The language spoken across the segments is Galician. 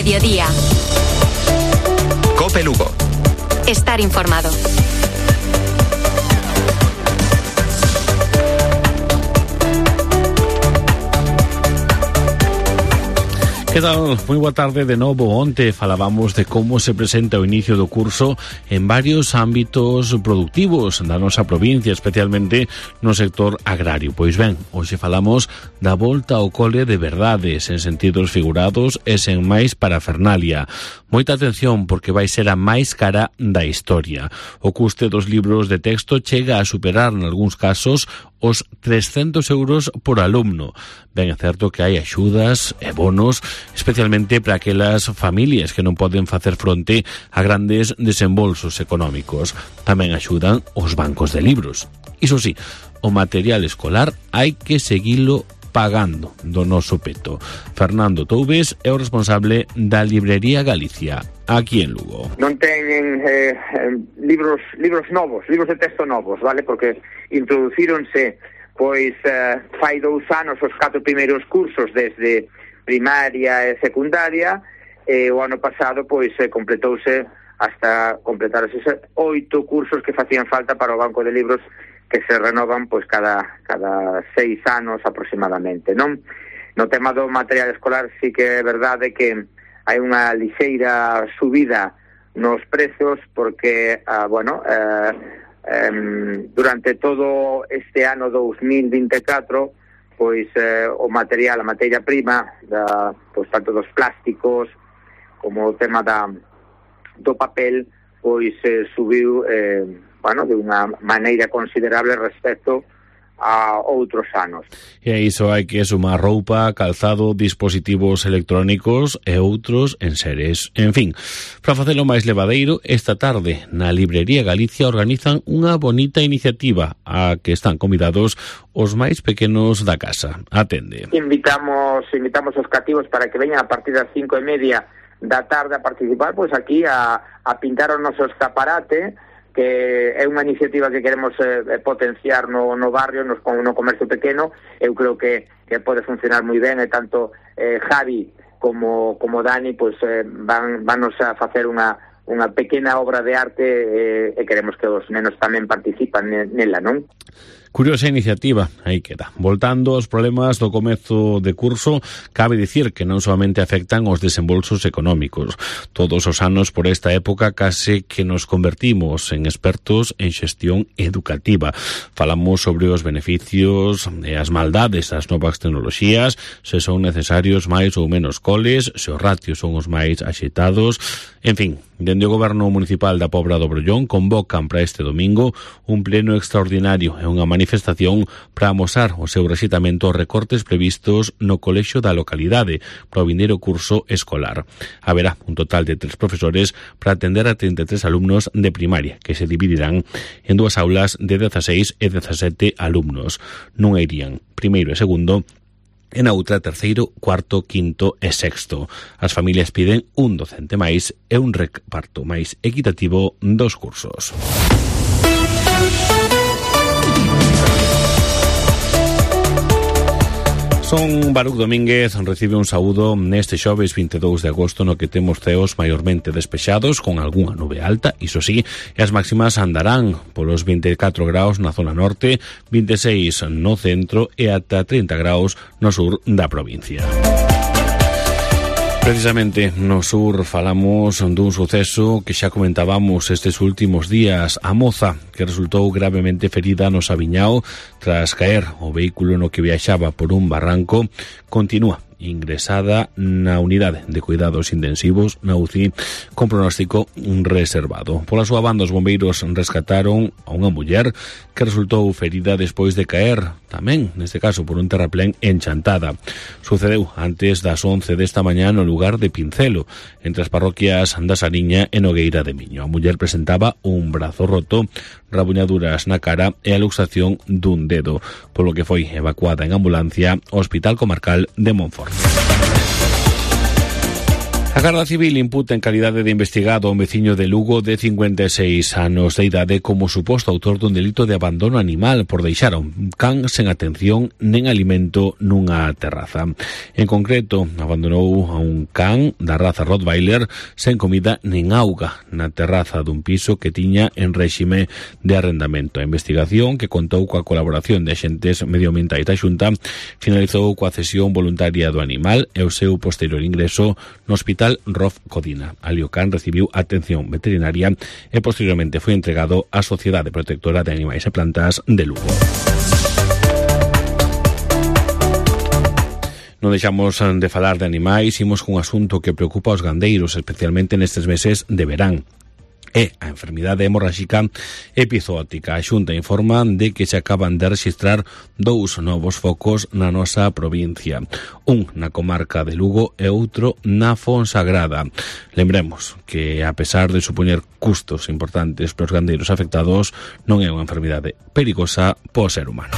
mediodía. COPE Lugo. Estar informado. Que tal? Moi boa tarde de novo. Onte falábamos de como se presenta o inicio do curso en varios ámbitos productivos da nosa provincia, especialmente no sector agrario. Pois ben, hoxe falamos da volta ao cole de verdade, sen sentidos figurados e sen máis parafernalia. Moita atención porque vai ser a máis cara da historia. O custe dos libros de texto chega a superar, en algúns casos, os 300 euros por alumno. Ben, é certo que hai axudas e bonos, especialmente para aquelas familias que non poden facer fronte a grandes desembolsos económicos. Tamén axudan os bancos de libros. Iso sí, o material escolar hai que seguilo pagando do noso peto. Fernando Toubes é o responsable da Librería Galicia, aquí en Lugo. Non teñen libros novos, libros de texto novos, vale? Porque introducíronse pois fai 2 anos os 4 primeiros cursos desde primaria e secundaria, e o ano pasado pois completouse hasta completarse 8 cursos que facían falta para o banco de libros, que se renovan pois cada 6 anos aproximadamente, non? No tema do material escolar sí que é verdade que hai unha lixeira subida nos prezos porque, durante todo este ano 2024 pois o material, a materia prima pois tanto dos plásticos como o tema do papel pois subiu de unha maneira considerable respecto a outros anos. E a iso hai que sumar roupa, calzado, dispositivos electrónicos e outros enseres. En fin, para facelo máis levadeiro, esta tarde na Librería Galicia organizan unha bonita iniciativa a que están convidados os máis pequenos da casa. Atende. Invitamos os cativos para que veñan a partir das 5:30 da tarde a participar, pois aquí a pintar o noso escaparate, que é unha iniciativa que queremos potenciar no barrio, no comercio pequeno. Eu creo que pode funcionar moi ben, e tanto Javi como Dani pois vanos a facer unha pequena obra de arte, e queremos que os nenos tamén participan nela, non? Curiosa iniciativa, aí queda. Voltando aos problemas do comezo de curso, cabe dicir que non solamente afectan os desembolsos económicos. Todos os anos por esta época case que nos convertimos en expertos en xestión educativa. Falamos sobre os beneficios e as maldades das novas tecnoloxías, se son necesarios máis ou menos coles, se os ratios son os máis axeitados. En fin, dende o Goberno Municipal da Pobra do Brollón convocan para este domingo un pleno extraordinario e unha manifestación para amosar o seu rexeitamento aos recortes previstos no colexio da localidade para o vindeiro curso escolar. Haberá un total de 3 profesores para atender a 33 alumnos de primaria, que se dividirán en 2 aulas de 16 e 17 alumnos. Non irían primeiro e segundo, en a outra terceiro, cuarto, quinto e sexto. As familias piden un docente máis e un reparto máis equitativo dos cursos. Son Baruc Domínguez, recibe un saúdo neste xoves 22 de agosto, no que temos ceos maiormente despexados con algunha nube alta, iso sí, e as máximas andarán polos 24 graus na zona norte, 26 no centro e ata 30 graus no sur da provincia. Precisamente no sur falamos dun suceso que xa comentábamos estes últimos días. A moza que resultou gravemente ferida no Sabiñao tras caer o vehículo no que viaxaba por un barranco continúa ingresada na unidade de cuidados intensivos na UCI con pronóstico reservado. Pola súa banda, os bombeiros rescataron a unha muller que resultou ferida despois de caer, tamén, neste caso, por un terraplén en Chantada. Sucedeu antes das 11 desta mañá no lugar de Pincelo, entre as parroquias da Sariña e Nogueira de Miño. A muller presentaba un brazo roto, rabuñaduras na cara e a luxación dun dedo, polo que foi evacuada en ambulancia ao Hospital Comarcal de Monforte. A Garda Civil imputa en calidade de investigado a un veciño de Lugo de 56 anos de idade como suposto autor dun delito de abandono animal por deixar a un can sen atención nen alimento nunha terraza. En concreto, abandonou a un can da raza Rottweiler sen comida nen auga na terraza dun piso que tiña en réxime de arrendamento. A investigación, que contou coa colaboración de axentes medioambientais da Xunta, finalizou coa cesión voluntaria do animal e o seu posterior ingreso no Hospital Rof Codina. Ali o can recibiu atención veterinaria e posteriormente foi entregado á Sociedade Protectora de Animais e Plantas de Lugo. Non deixamos de falar de animais, imos cun asunto que preocupa aos gandeiros, especialmente nestes meses de verán. É a enfermidade hemorráxica epizootica. A Xunta informa de que se acaban de registrar 2 novos focos na nosa provincia. Un na comarca de Lugo e outro na Fonsagrada. Lembremos que, a pesar de supoñer custos importantes para os gandeiros afectados, non é unha enfermidade perigosa para o ser humano.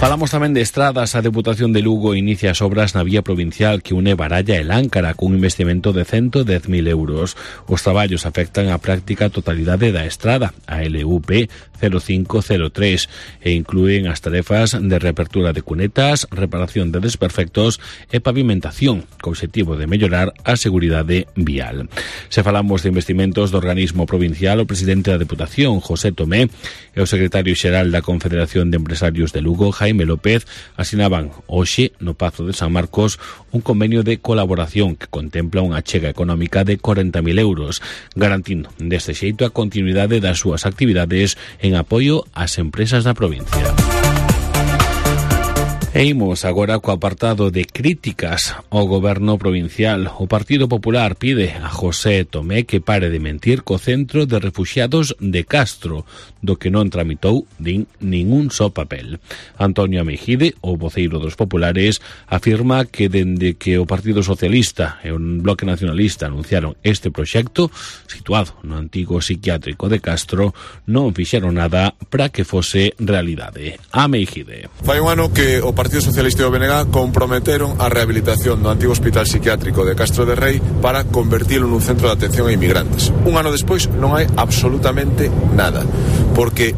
Falamos tamén de estradas. A Deputación de Lugo inicia as obras na vía provincial que une Baralla e Láncara cun investimento de 110.000 euros. Os traballos afectan a práctica totalidade da estrada, a LUP 0503, e inclúen as tarefas de reapertura de cunetas, reparación de desperfectos e pavimentación, co obxectivo de mellorar a seguridade vial. Se falamos de investimentos do organismo provincial, o presidente da Deputación, José Tomé, e o secretario xeral da Confederación de Empresarios de Lugo, Jaime López, asinaban hoxe no Pazo de San Marcos un convenio de colaboración que contempla unha achega económica de 40.000 euros, garantindo deste xeito a continuidade das súas actividades en apoio ás empresas da provincia. E imos agora co apartado de críticas ao goberno provincial. O Partido Popular pide a José Tomé que pare de mentir co Centro de Refuxiados de Castro, do que non tramitou ningún só papel. Antonio Mejide, o voceiro dos populares, afirma que dende que o Partido Socialista e o Bloque Nacionalista anunciaron este proxecto, situado no antigo psiquiátrico de Castro, non fixeron nada para que fose realidade. A Mejide. Fai un ano que o Partido Socialista e o BNG comprometeron a rehabilitación do antigo hospital psiquiátrico de Castro de Rei para convertilo nun centro de atención a inmigrantes. Un ano despois non hai absolutamente nada, porque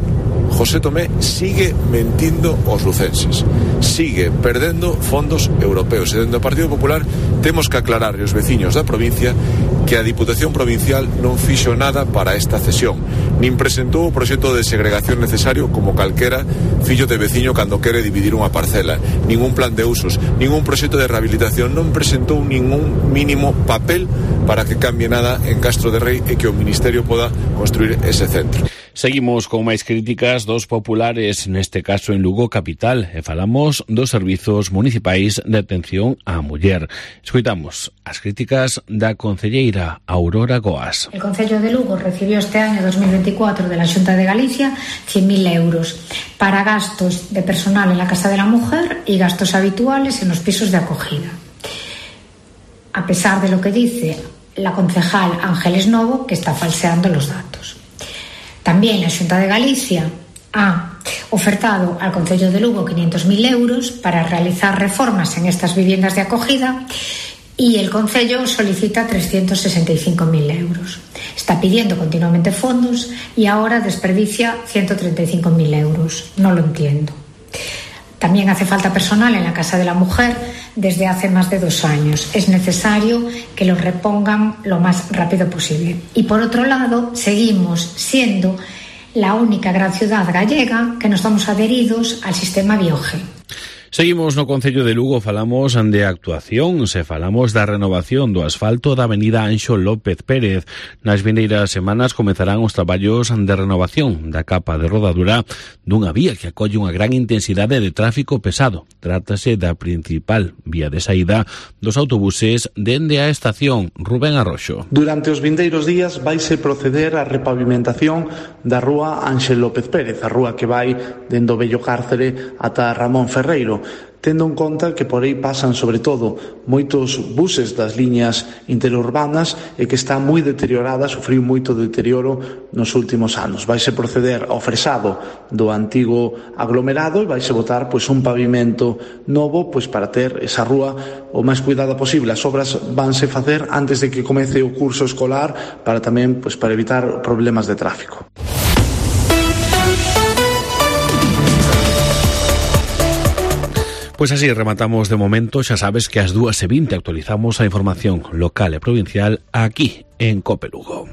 José Tomé sigue mentindo aos lucenses, sigue perdendo fondos europeos, e dentro do Partido Popular temos que aclarar aos veciños da provincia que a Diputación Provincial non fixo nada para esta cesión, nin presentou o proxecto de segregación necesario como calquera fillo de veciño cando quere dividir unha parcela, ningún plan de usos, ningún proxecto de rehabilitación, non presentou ningún mínimo papel para que cambie nada en Castro de Rei e que o Ministerio poda construir ese centro. Seguimos con máis críticas dos populares, neste caso en Lugo capital, e falamos dos servizos municipais de atención á muller. Escoitamos as críticas da concelleira Aurora Goas. El Concello de Lugo recibió este año 2024 de la Xunta de Galicia 100.000 euros para gastos de personal en la Casa de la Mujer y gastos habituales en los pisos de acogida. A pesar de lo que dice la concejal Ángeles Novo, que está falseando los datos. También la Xunta de Galicia ha ofertado al Concello de Lugo 500.000 euros para realizar reformas en estas viviendas de acogida y el Concello solicita 365.000 euros. Está pidiendo continuamente fondos y ahora desperdicia 135.000 euros. No lo entiendo. También hace falta personal en la Casa de la Mujer desde hace más de 2 años. Es necesario que lo repongan lo más rápido posible. Y por otro lado, seguimos siendo la única gran ciudad gallega que no estamos adheridos al sistema Bioge. Seguimos no Concello de Lugo, falamos de actuación, falamos da renovación do asfalto da avenida Anxo López Pérez. Nas vindeiras semanas comezarán os traballos de renovación da capa de rodadura dunha vía que acolle unha gran intensidade de tráfico pesado. Trátase da principal vía de saída dos autobuses dende a estación Rubén Arroxo. Durante os vindeiros días vaise proceder á repavimentación da rúa Anxo López Pérez, a rúa que vai dende o Vello Cárcere ata Ramón Ferreiro. tendo en conta que por aí pasan sobre todo moitos buses das liñas interurbanas e que está moi deteriorada, sufriu moito deterioro nos últimos anos. Vaise proceder ao fresado do antigo aglomerado e vaise botar un pavimento novo para ter esa rúa o máis cuidada posible. As obras vanse facer antes de que comece o curso escolar para tamén para evitar problemas de tráfico. Pois así rematamos de momento. Xa sabes que ás 2:20 actualizamos a información local e provincial aquí en COPE Lugo.